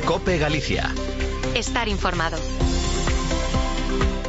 COPE Galicia. Estar informado.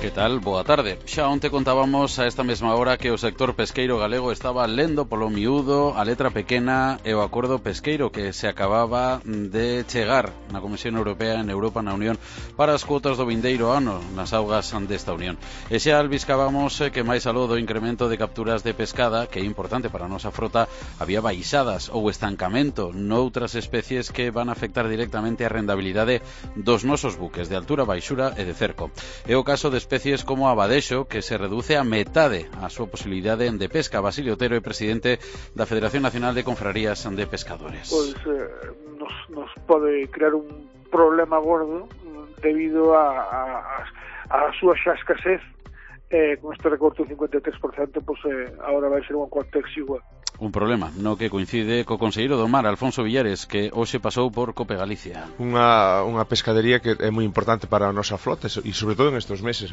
Que tal? Boa tarde. Xa onte contábamos a esta mesma hora que o sector pesqueiro galego estaba lendo polo miúdo a letra pequena e o acordo pesqueiro que se acababa de chegar na Comisión Europea en Europa, na Unión, para as cuotas do vindeiro ano nas augas desta Unión. E xa albiscábamos que máis aló do incremento de capturas de pescada, que é importante para a nosa frota, había baixadas ou estancamento noutras especies que van a afectar directamente a rendabilidade dos nosos buques de altura, baixura e de cerco. É o caso de especies como a badexo, que se reduce a metade a súa posibilidade de pesca. Basilio Otero é presidente da Federación Nacional de Confrarías de Pescadores. Pois nos pode crear un problema gordo debido a súa xa escasez. Con este recorte do 53%, pois agora vai ser un contexto igual. Un problema no que coincide co conselleiro do Mar, Alfonso Villares, que hoxe pasou por COPE Galicia. Unha pescadería que é moi importante para a nosa flota e sobre todo nestes meses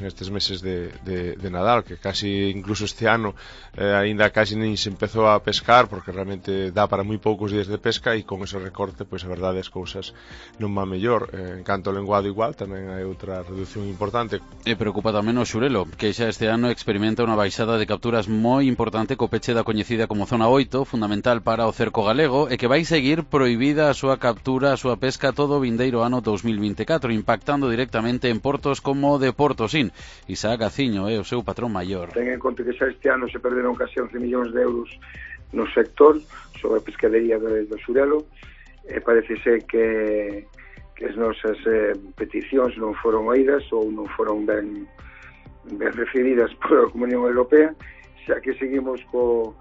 de Nadal, que casi incluso este ano aínda casi nin se empezou a pescar porque realmente dá para moi poucos días de pesca e con ese recorte, pois a verdade as cousas non van mellor. En canto ao lenguado igual, tamén hai outra reducción importante. E preocupa tamén o xurelo, que xa este ano experimenta unha baixada de capturas moi importante co peche da coñecida como Zona 8, fundamental para o cerco galego, e que vai seguir prohibida a súa captura, a súa pesca todo o vindeiro ano 2024, impactando directamente en portos como de Portosín. Isaac Gaciño é o seu patrón maior. Ten en conta que xa este ano se perderon casi 11 millóns de euros no sector sobre a pescadería do xurelo, e parece ser que as nosas peticións non foron oídas ou non foron ben recibidas pola Comunión Europea, xa que seguimos co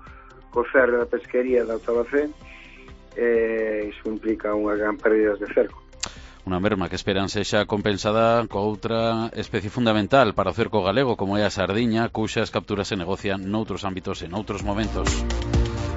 cerre da pesquería da Octava-C, iso implica unha gran pérdida de cerco. Unha merma que esperan sexa compensada co outra especie fundamental para o cerco galego, como é a sardiña, cuxas capturas se negocian noutros ámbitos e noutros momentos.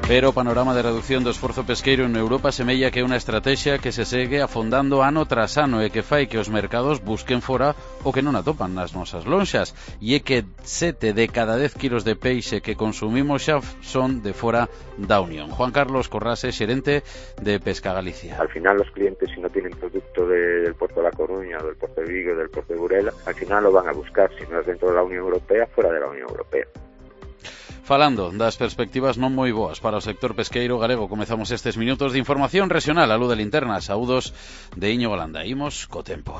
Pero o panorama de reducción do esforzo pesqueiro en Europa semella que é unha estrategia que se segue afondando ano tras ano e que fai que os mercados busquen fora o que non atopan nas nosas lonxas, e é que 7 de cada 10 kilos de peixe que consumimos xa son de fora da Unión. Juan Carlos Corrase, xerente de Pesca Galicia. Al final los clientes, si no tienen producto del puerto de La Coruña, del puerto de Vigo, del puerto de Burela, al final lo van a buscar, si no es dentro de la Unión Europea, fuera de la Unión Europea. Falando das perspectivas non moi boas para o sector pesqueiro galego, comezamos estes minutos de información regional a luz de linterna. Saúdos de Iñigo Landa. Imos co tempo.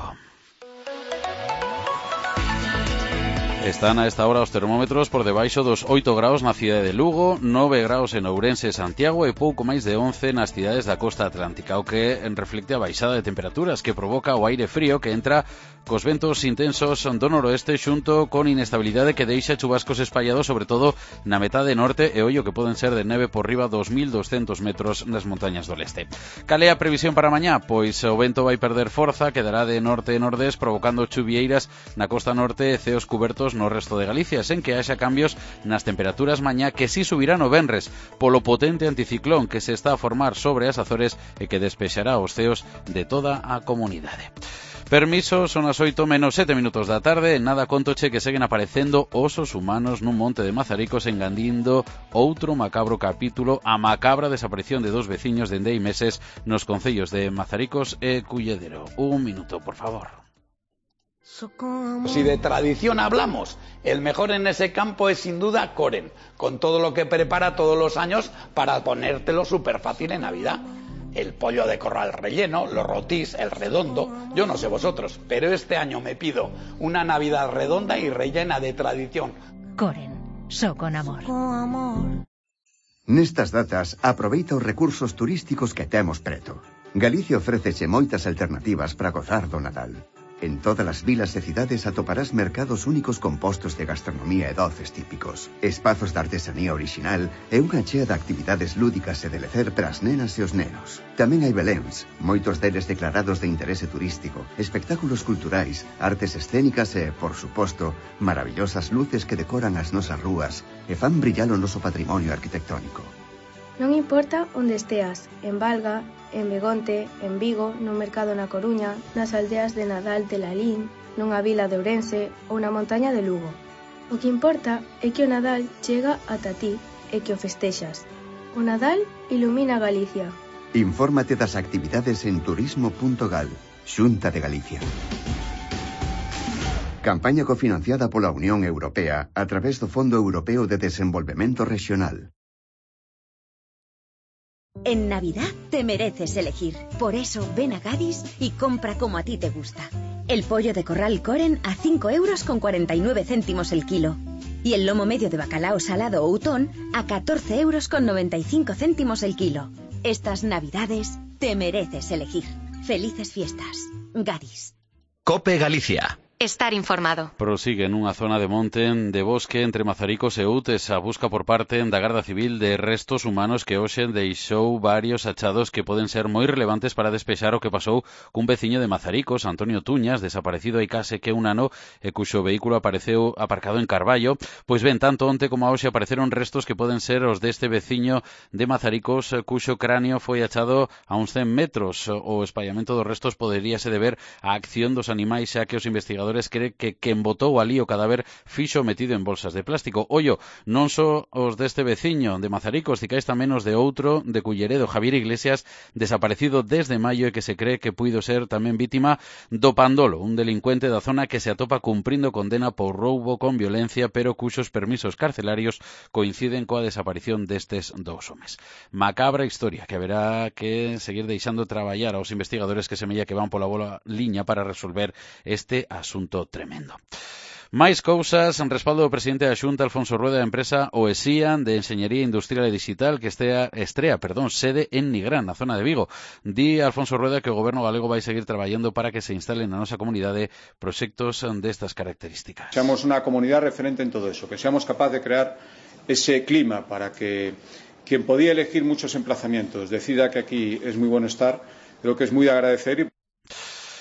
Están a esta hora os termómetros por debaixo dos 8 graus na cidade de Lugo, 9 graus en Ourense e Santiago e pouco máis de 11 nas cidades da costa atlántica, o que reflecte a baixada de temperaturas que provoca o aire frío que entra cos ventos intensos do noroeste xunto con inestabilidade que deixa chubascos espallados sobre todo na metade norte e ollo que poden ser de neve por riba dos 1200 metros nas montañas do leste. Cal é a previsión para mañá? Pois o vento vai perder forza, quedará de norte e nordés provocando chuvieiras na costa norte e ceos cubertos no resto de Galicia, sen que haxa cambios nas temperaturas mañá que si subirán o venres polo potente anticiclón que se está a formar sobre as Azores e que despexará os ceos de toda a comunidade. Permiso, son as 8 menos 7 minutos da tarde. Nada contoche que seguen aparecendo osos humanos nun monte de Mazaricos engandindo outro macabro capítulo, a macabra desaparición de dos veciños dende hai meses nos concellos de Mazaricos e Culledero. Un minuto, por favor. Si de tradición hablamos, el mejor en ese campo es sin duda Coren, con todo lo que prepara todos los años para ponértelo súper fácil en Navidad. El pollo de corral relleno, los rotís, el redondo, yo no sé vosotros, pero este año me pido una Navidad redonda y rellena de tradición. Coren, so con amor. Nestas datas, aproveita os recursos turísticos que temos preto. Galicia ofréceche moitas alternativas para gozar do Nadal. En todas as vilas e cidades atoparás mercados únicos compostos de gastronomía e doces típicos, espazos de artesanía orixinal e unha chea de actividades lúdicas e de lecer para as nenas e os nenos. Tamén hai beléns, moitos deles declarados de interese turístico, espectáculos culturais, artes escénicas e, por suposto, maravillosas luces que decoran as nosas rúas e fan brillar o noso patrimonio arquitectónico. Non importa onde esteas, en Valga, en Begonte, en Vigo, no mercado na Coruña, nas aldeas de Nadal de Lalín, nunha vila de Ourense ou na montaña de Lugo. O que importa é que o Nadal chega ata ti e que o festexas. O Nadal ilumina Galicia. Infórmate das actividades en turismo.gal. Xunta de Galicia. Campaña cofinanciada pola Unión Europea a través do Fondo Europeo de Desenvolvemento Regional. En Navidad te mereces elegir. Por eso ven a Gadis y compra como a ti te gusta. El pollo de corral Coren a 5,49 € el kilo. Y el lomo medio de bacalao salado Outón a 14,95 € el kilo. Estas Navidades te mereces elegir. Felices fiestas. Gadis. COPE Galicia. Estar informado. Prosigue nunha zona de monte de bosque entre Mazaricos e Utes a busca por parte da Garda Civil de restos humanos que hoxe deixou varios achados que poden ser moi relevantes para despexar o que pasou cun veciño de Mazaricos, Antonio Tuñas, desaparecido hai case que un ano e cuxo vehículo apareceu aparcado en Carballo. Pois ben, tanto onte como hoxe apareceron restos que poden ser os deste veciño de Mazaricos cuxo cráneo foi achado a uns 100 metros. O espallamento dos restos poderíase deber á acción dos animais, xa que os investigadores cree que quen botou ali o cadáver fixo metido en bolsas de plástico. Ollo, non só os deste veciño de Mazaricos, cicais tamén os de outro de Culleredo, Javier Iglesias, desaparecido desde maio e que se cree que puido ser tamén vítima do Pandolo, un delincuente da zona que se atopa cumprindo condena por roubo con violencia, pero cuxos permisos carcelarios coinciden coa desaparición destes dous homes. Macabra historia que haberá que seguir deixando traballar aos investigadores que semella que van pola boa liña para resolver este asunto tremendo. Máis cousas, en respaldo do presidente da Xunta, Alfonso Rueda, da empresa OESIA de Enxeñería Industrial e Digital que estrea sede en Nigrán, na zona de Vigo. Di Alfonso Rueda que o goberno galego vai seguir traballando para que se instalen na nosa comunidade proxectos destas características. Seamos unha comunidade referente en todo eso, que seamos capaces de crear ese clima para que quien podía elegir muchos emplazamientos decida que aquí es muy bueno estar, creo que es muy de agradecer.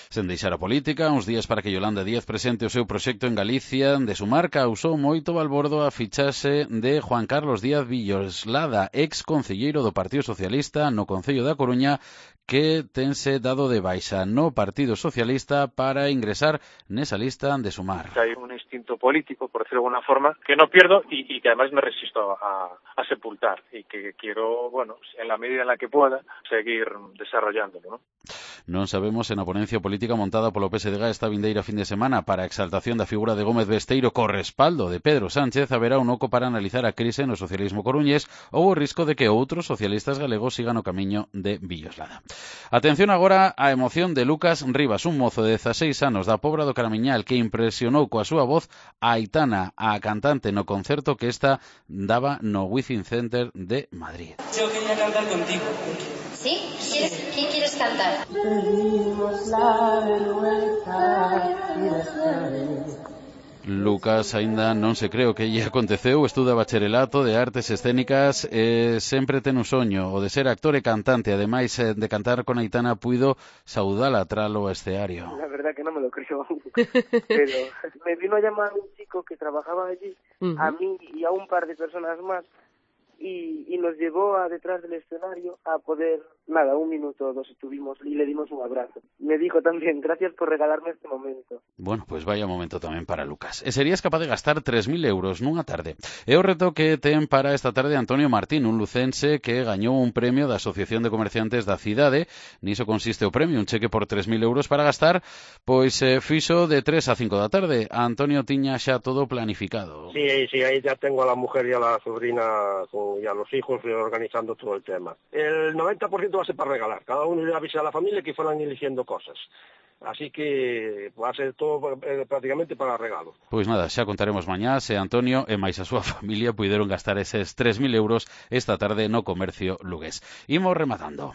Sen deixar a política, uns días para que Yolanda Díaz presente o seu proxecto en Galicia de Sumar, causou moito balbordo a fichaxe de Juan Carlos Díaz Villoslada, ex concelleiro do Partido Socialista no Concello da Coruña, que tense dado de baixa no Partido Socialista para ingresar nesa lista de Sumar. Hay un instinto político, por decirlo de alguna forma, que no pierdo y que además me resisto a sepultar y que quiero, bueno, en la medida en la que pueda, seguir desarrollándolo, ¿no? Non sabemos se na ponencia política montada polo PSDG esta vindeira fin de semana para a exaltación da figura de Gómez Besteiro co respaldo de Pedro Sánchez haberá un oco para analizar a crise no socialismo coruñés ou o risco de que outros socialistas galegos sigan o camiño de Villoslada. Atención agora á emoción de Lucas Rivas, un mozo de 16 anos da Pobra do Caramiñal que impresionou coa súa voz a Aitana, a cantante no concerto que esta daba no Wizzing Center de Madrid. Yo quería cantar contigo. ¿Sí? ¿Quién quieres cantar? Lucas aínda non se cree o que lle aconteceu, estuda bacharelato de artes escénicas e sempre ten un soño, o de ser actor e cantante, ademais de cantar con Aitana puido saudala tralo escenario. La verdad que no me lo creo, pero me vino a llamar un chico que trabajaba allí, a mí y a un par de personas más, y nos llevó a detrás del escenario a poder, nada, 1 minuto o 2 estuvimos y le dimos un abrazo. Me dijo también, gracias por regalarme este momento. Bueno, pues vaya momento tamén para Lucas. E serías capaz de gastar 3.000 euros nunha tarde. É o reto que ten para esta tarde Antonio Martín, un lucense que gañou un premio da Asociación de Comerciantes da cidade. Niso consiste o premio, un cheque por 3.000 euros para gastar, pois fixo de 3 a 5 da tarde. Antonio tiña xa todo planificado. Sí, ahí ya tengo a la mujer y a la sobrina y a los hijos organizando todo el tema. El 90% va a ser para regalar. Cada uno le avisa a la familia que fueran eligiendo cosas. Así que va a ser todo prácticamente para regalo. Pois nada, xa contaremos mañá se Antonio e máis a súa familia puideron gastar eses 3.000 euros esta tarde no comercio lugués. Imos rematando.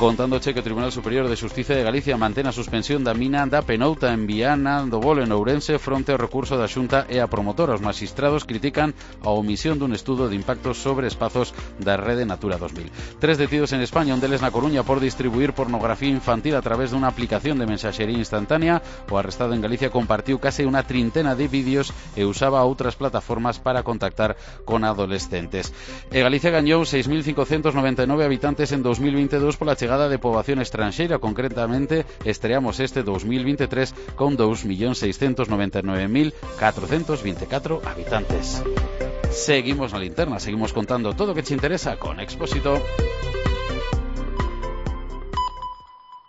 Contándoche que o Tribunal Superior de Xustiza de Galicia mantén a suspensión da mina da Penouta en Viana do Bolo en Ourense fronte ao recurso da Xunta e a promotora. Os magistrados critican a omisión dun estudo de impactos sobre espazos da Rede Natura 2000. 3 detidos en España, un deles na Coruña por distribuir pornografía infantil a través dunha aplicación de mensaxería instantánea. O arrestado en Galicia compartiu case unha trintena de vídeos e usaba outras plataformas para contactar con adolescentes. E Galicia gañou 6.599 habitantes en 2022 pola chegada de poboación estranxeira, concretamente estreamos este 2023 con 2.699.424 habitantes. Seguimos na linterna, seguimos contando todo o que te interesa con Expósito.